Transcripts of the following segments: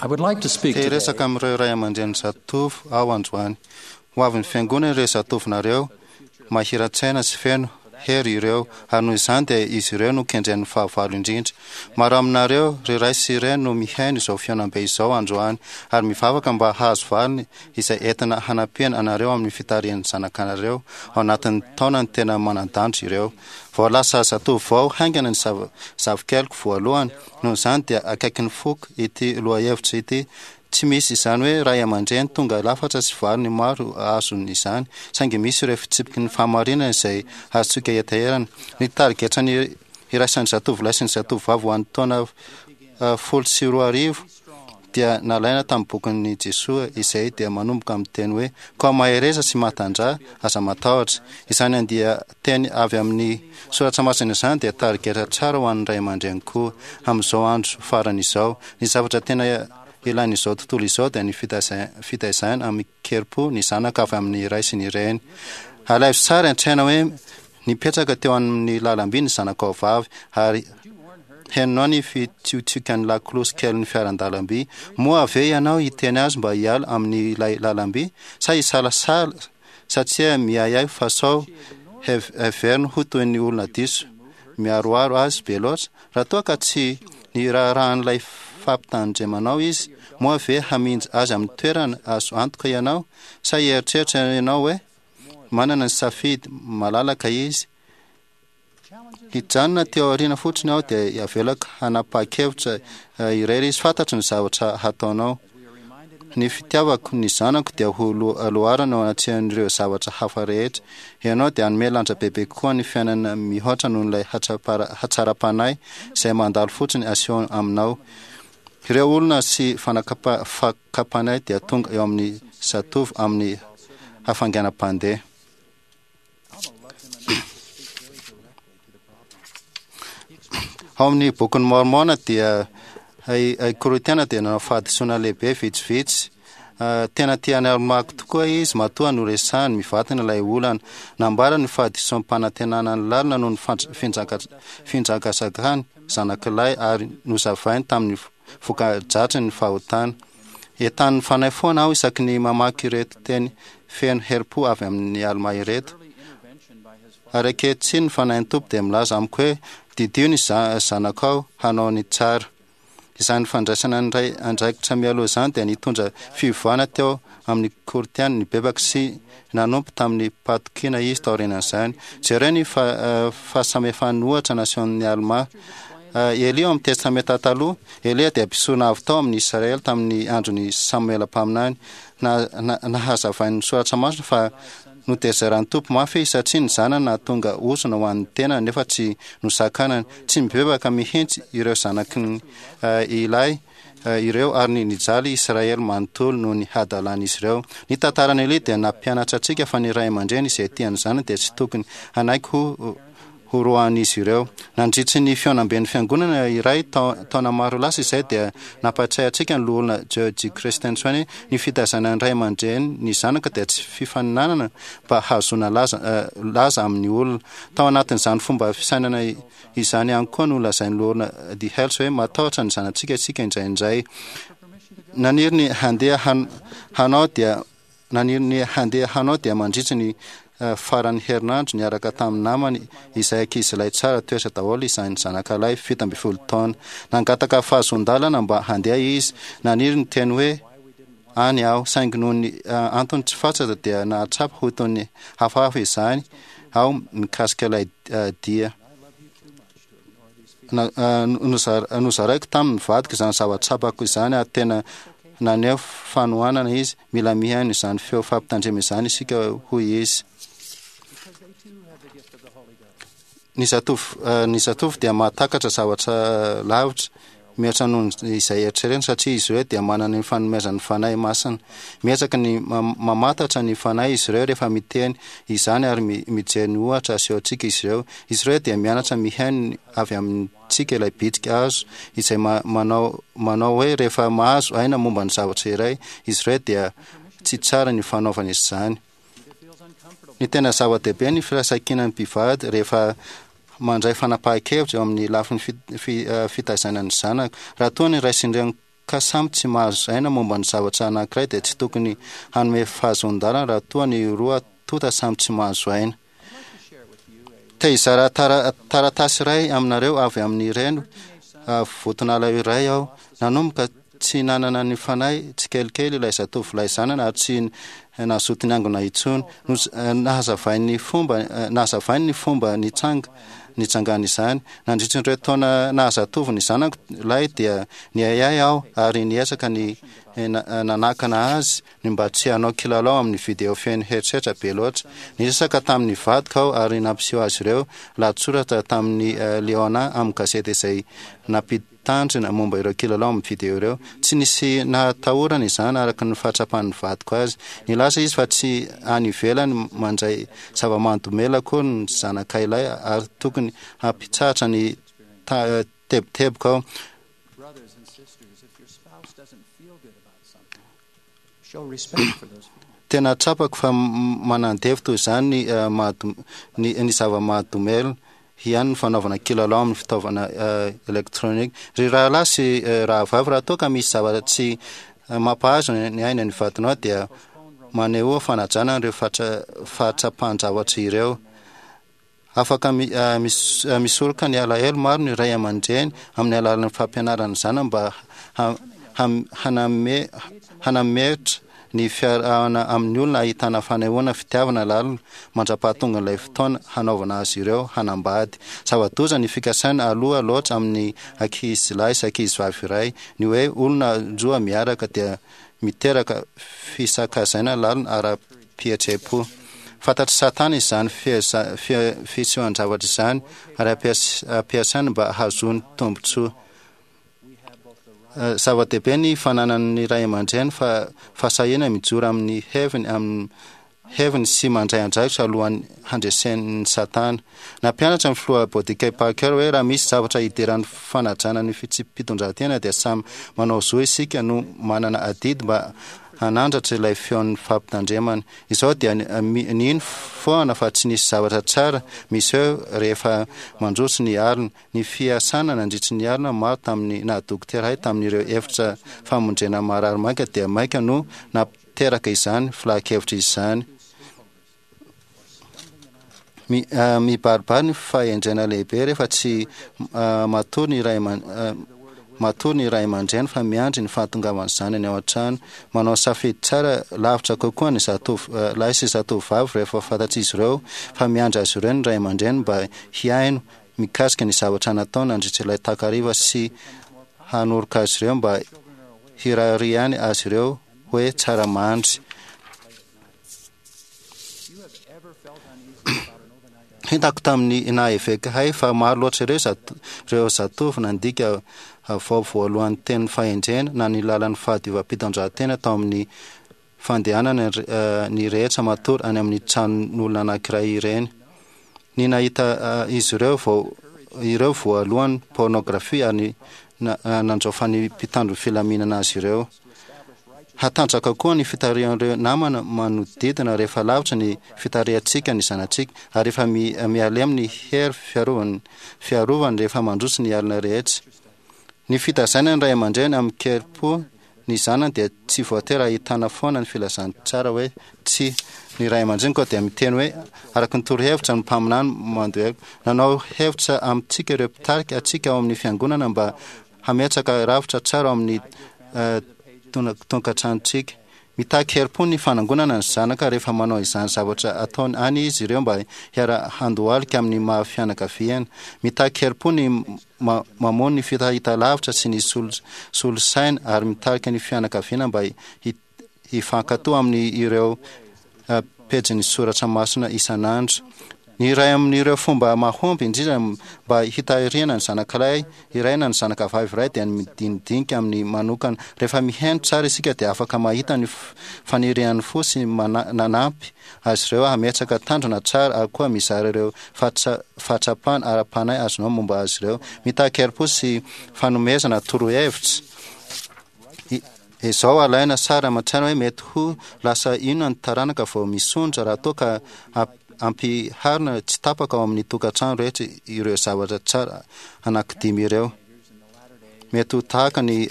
I would like to speak Te today hiresaka amin'ireo ray aman-dreny zatovo aho androany. Ho avin'ny fiangonana ireo zatovonareo, mahira-tsaina sy feno hery ireo, ary noho izany dia izy ireo no kendren'ny fahavalo indrindra. Maro aminareo, ry ray sy reny, no mihaino izao fihaonambe izao androany, ary mivavaka mba hahazo valiny izay entina hanampiana anareo amin'ny fitarihan'ny zanakanareo ao anatin'ny taonany tena manan-danja ireo. Vao lasa zatovo vao haingana ny zava-zavikeliko voalohany, noho izany dia akaikin'ny foko ity lohahevitra ity. Tsy misy izany hoe ray aman-dreny tonga lafatra sy valiny maro azony izany, saingy misy ireo fitsipiky ny fahamarinana izay azontsika etaherana. Ny tarigetra ny iraisan'ny zatovolahy sy ny zatovovavy ho an'ny taona 2010 dia nalaina tamin'ny bokin'i Jesoa izay dia manomboka amin'ny teny hoe koa mahereza sy matanjaha, aza matahotra. Izany andian-teny avy amin'ny soratra masina izany dia tarigetra tsara ho an'ny ray aman-dreny koa amin'izao andro farany izao. Ny zavatra tena ilain'izao tontolo izao dia ny fitaizana amin-kerim-po ny zanaka avy amin'ny ray sy ny reny. Alaivo sary an-tsaina hoe nipetraka teo amin'ny lalamby ny zanakao vavy ary henonao ny fitsiotsikan'ny lakolosy kelin'ny fiaran-dalamby. Moa ve ianao hiteny azy mba hiala amin'ilay lalamby sa hisalasala satria miahiahy fa sao heveriny ho toy ny olona diso miaroaro azy be loatra? Raha toa ka tsy niraharahan'ilay fampitandremanao izy, moa ve haminja azy amin'ny toerana azo antoka ianao? Sa hieritreritra ianao hoe manana ny safidy malalaka izy? Hijanona aty aoriana fotsiny aho dia avelako hanapa-kevitra irery izy. Fantatro ny zavatra hataonao. Ny fitiavako ny zanako dia ho loharana eo anatrehan'ireo zavatra hafa rehetra. Ianao dia hanome lanja bebe kokoa ny fiainana mihoatra noho ilay hatsaram-panahy izay mandalo fotsiny aseho aminao. Ireo olona sy fakam-panahy dia tonga eo amin'ny zatovo amin'ny hafainganam-pandeha. Ao amin'ny Bokin'i Môrmôna dia i Korintiana dia nanao fahadisoana lehibe vitsivitsy. Tena tia an'i Almà tokoa izy matoa noresahiny mivantana ilay olana. Nambarany ny fahadisoam-panantenana ny lalina noho ny finjakazakany zanak'ilay ary nozavainy tamin'ny voka-dratsin'ny fahotana. Entanin'ny Fanahy foana aho isaky ny mamaky ireto teny feno herim-po avy amin'i Almà ireto. Ary ankehitriny ny Fanahin'ny Tompo dia milaza amiko hoe, Didio ny zanakao hanao ny tsara. Izany fandraisana ny ray andraikitra mialoha izany dia nitondra fiovana teo amin'ny Korintiana nibebaka sy nanompo tamin'ny pahatokiana izy taorianan'izany. Jereo ny fahasamihafan'ny ohatra nasehon'i Almà. Elia ao amin'ny Testamenta Taloha. Elia dia mpisorona avo tao amin'ny Israely tamin'ny andron'i Samoela mpaminany. Nahazavain'ny Soratra Masina fa notezaran'ny Tompo mafy izy satria ny zanany nahatonga ozona ho an'ny tenany nefa tsy nosakanany. Tsy mibebaka mihitsy ireo zanaky ilay ireo ary nijaly Israely manontolo noho ny hadalan'izy ireo. Ny tantaran'i Elia dia nampianatra antsika fa ny ray aman-dreny izay tia ny zanany dia tsy tokony hanaiky ho horoahan'izy ireo. Nandritry ny fihaonamben'ny fiangonana iray taona maro lasa izay dia nampahatsiahy antsika ny Loholona George Christensen hoe ny fitaizana ny ray aman-dreny ny zanaka dia tsy fifaninanana mba hahazoana laza laza amin'ny olona. Tao anatin'izany fomba fisainana izany ihany koa no lazain'ny Loholona D. Hales hoe matahotra ny zanatsika isika indraindray. Naniry ny handeha hanao dia Naniry ny handeha hanao dia mandritra ny faran'ny herinandro niaraka tamin'ny namany izay ankizilahy tsara toetra daholo izany zanakalahy 17 taona. Nangataka fahazoan-dalana mba handeha izy. Naniry ny teny hoe any aho, saingy noho ny antony tsy fantatra dia nahatsapa ho toy ny hafahafa izany aho mikasika ilay dia. Nozaraiko tamin'ny vadiko izany zava-tsapako izany ary tena naneho fanohanana izy. Mila mihaino izany feo fampitandremana izany isika, hoy izy. Ny zatovo, ny zatovo dia mahatakatra zavatra lavitra mihoatra noho izay eritreretina satria izy ireo dia manana ny fanomezan'ny Fanahy Masina. Miezaka ny mamantatra ny Fanahy izy ireo rehefa miteny izany ary mijery ny ohatra asehontsika izy ireo. Izy ireo dia mianatra mihaino avy amintsika ilay bitsika azo izay manao manao hoe rehefa mahazo aina momba ny zavatra iray izy ireo dia tsy tsara ny fanaovana izany. Ny tena zava-dehibe ny firaisankinan'ny mpivady rehefa mandray fanapahan-kevitra eo amin'ny lafiny fitaizana ny zanaka. Raha toa ny ray sy ny reny. ka samy tsy mahazo aina momba ny zavatra anankiray dia tsy tokony hanome fahazoan-dalana raha toa ny roa tonta samy tsy mahazo aina. Te hizara taratasy iray aminareo avy amin'ireny votonala iray aho. Nanomboka tsy nanana ny fanahy tsikelikely ilay zatovolahy zanany ary tsy nazoto niangona intsony. Nahazavainy ny fomba nahazavainy ny fomba nitsanga nitsangana izany. Nandritra ireo taona nahazatovo ny zanako lahy dia niahiahy aho ary niezaka ny nanakana azy ny mba tsy hanao kilalao amin'ny video feno herisetra be loatra. Niresaka tamin'ny vadiko aho ary nampiseho azy ireo lahatsoratra tamin'ny Leona amin'ny gazety izay nampitandrina momba ireo kilalao amin'ny video ireo. Tsy nisy nahatahorana izany araka ny fahatsapan'ny vadiko azy. Nilaza izy fa tsy any ivelany mandray zava-mahadomelina akory ny zanakay lahy ary tokony hampitsahatra ny tebitebiko aho. Tena tsapako fa manandevo toy izany ny ny ny zava-mahadomelina ihany ny fanaovana kilalao amin'ny fitaovana elektronika. Ry rahalahy sy rahavavy, raha toa ka misy zavatra tsy mampahazo ny aina ny vadinao dia manehoa fanajana an'ireo fahatsapan-javatra ireo. Afaka misoroka ny alahelo maro ny ray aman-dreny amin'ny alalan'ny fampianarana ny zanany mba hanametra ny fiarahana amin'ny olona ahitana fanehoana fitiavana lalina mandra-pahatongan'ilay fotoana hanaovana azy ireo hanambady. Zava-doza ny fikasana aloha loatra amin'ny ankizilahy sy ankizivavy iray. Ny hoe olona roa miaraka dia miteraka fisakazaina lalina ara-pihetseham-po. Fantatr'i Satana izany fisehoan-javatra izany ary ampiasainy mba hahazoany tombontsoa. Zava-dehibe ny fananan'ny ray aman-dreny fa fahasahiana mijoro amin'ny heviny amin'ny heviny sy mandray andraikitra alohan'ny handresen'i Satana. Nampianatra ny filoha Bodike Parker hoe raha misy zavatra idiran'ny fanajana ny fitsipi-pitondran-tena dia samy manao zo isika no manana adidy mba hanandratra ilay feon'ny fampitandremana. Izao dia nino foana fa tsy nisy zavatra tsara miseho rehefa mandroso ny alina. Ny fiasana nandritry ny alina maro tamin'ny naha-dokotera ahy tamin'ireo efitra famonjena marary maika dia maika no Teraka izany filahan-kevitra izany. Mibaribary ny fahendrena lehibe rehefa tsy matory ny ray matory ny ray aman-dreny fa miandry ny fahatongavan'ny zanany ao an-trano. Manao safidy tsara lavitra kokoa ny zatovo lahy sy zatovovavy rehefa fantatr'izy ireo fa miandry azy ireo ny ray aman-dreny mba hihaino mikasika ny zavatra natao nandritra ilay takariva sy hanoroka azy ireo mba hirariany azy ireo hoe tsara mandry. Hitako tamin'ny naha eveka ahy fa maro loatra ireo ireo zatovo nandika vao voalohan'ny tenin'ny fahendrena na ny lalan'ny fahadiovam-pitandrantena tao amin'ny fandehanana ny rehetra matory any amin'ny tranon'olona anankiray ireny. Ny nahita izy ireo vao ireo voalohany pornographie ary nandraofan'ny mpitandro filaminana azy ireo. Hatanjaka koa ny fitarihan'ireo namana manodidina rehefa lavitra ny fitarihantsika ny zanatsika ary efa mihalemy ny hery fiarovany fiarovany rehefa mandroso ny alina rehetra. Ny fitazaina ny ray aman-dreny amin-kerim-po ny zanany dia tsy voatery ahitana foana ny filazantsara hoe tsia. Ny ray aman-dreny koa dia miteny hoe araka ny torohevitra ny mpaminany mandohelo. Nanao hevitra amintsika ireo mpitarika antsika ao amin'ny fiangonana mba hametraka rafitra tsara ao amin'ny tonkantranontsika. Mitaky herim-po ny fanangonana ny zanaka rehefa manao izany zavatra ataony any izy ireo mba hiara-handohalika amin'ny maha fianakaviana. Mitaky herim-po ny mamono ny fahitalavitra sy ny solosaina ary mitarika ny fianakaviana mba hifankato amin'ny ireo pejin'ny soratra masina isan'andro. Ny iray amin'ireo fomba mahomby indrindra mba hitahirihana ny zanakalahy iray na ny zanakavavy iray dia ny midinidinika aminy manokana. Rehefa mihaino tsara isika dia afaka mahita ny fanirian'ny fo sy nanampy azy ireo hametraka tanjona tsara ary koa mizara ireo fahatsapana ara-panahy azonao momba azy ireo. Mitaky herim-po sy fanomezana torohevitra. Izao alaina sary aman-tsaina hoe mety ho lasa inona ny taranaka vao misondrotra raha toa ka ampiharina tsy tapaka ao amin'ny tokantrano rehetra ireo zavatra tsara anankidimy ireo. Mety ho tahaka ny.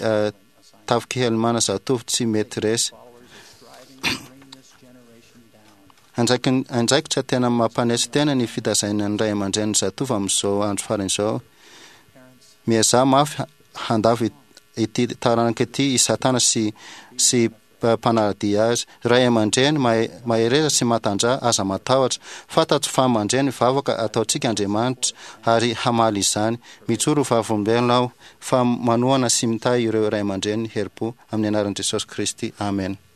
tafik'i Helmana zatovo tsy mety resy. Andraikitra tena mampanetry tena ny fitazaina ny ray aman-drenin'ny zatovo amin'izao andro farany izao. Miezaha mafy handavo ity taranaka ity i Satana sy sy mpanara-dia azy. Ray aman-dreny, mahereza sy matanjaha, aza matahotra. Fantatro fa mandre ny vavaka ataontsika Andriamanitra ary hamaly izany. Mijoro ho vavolombelona aho fa manohana sy mitahy ireo ray aman-dreny herim-po amin'ny anaran'i Jesosy Kristy. Amena.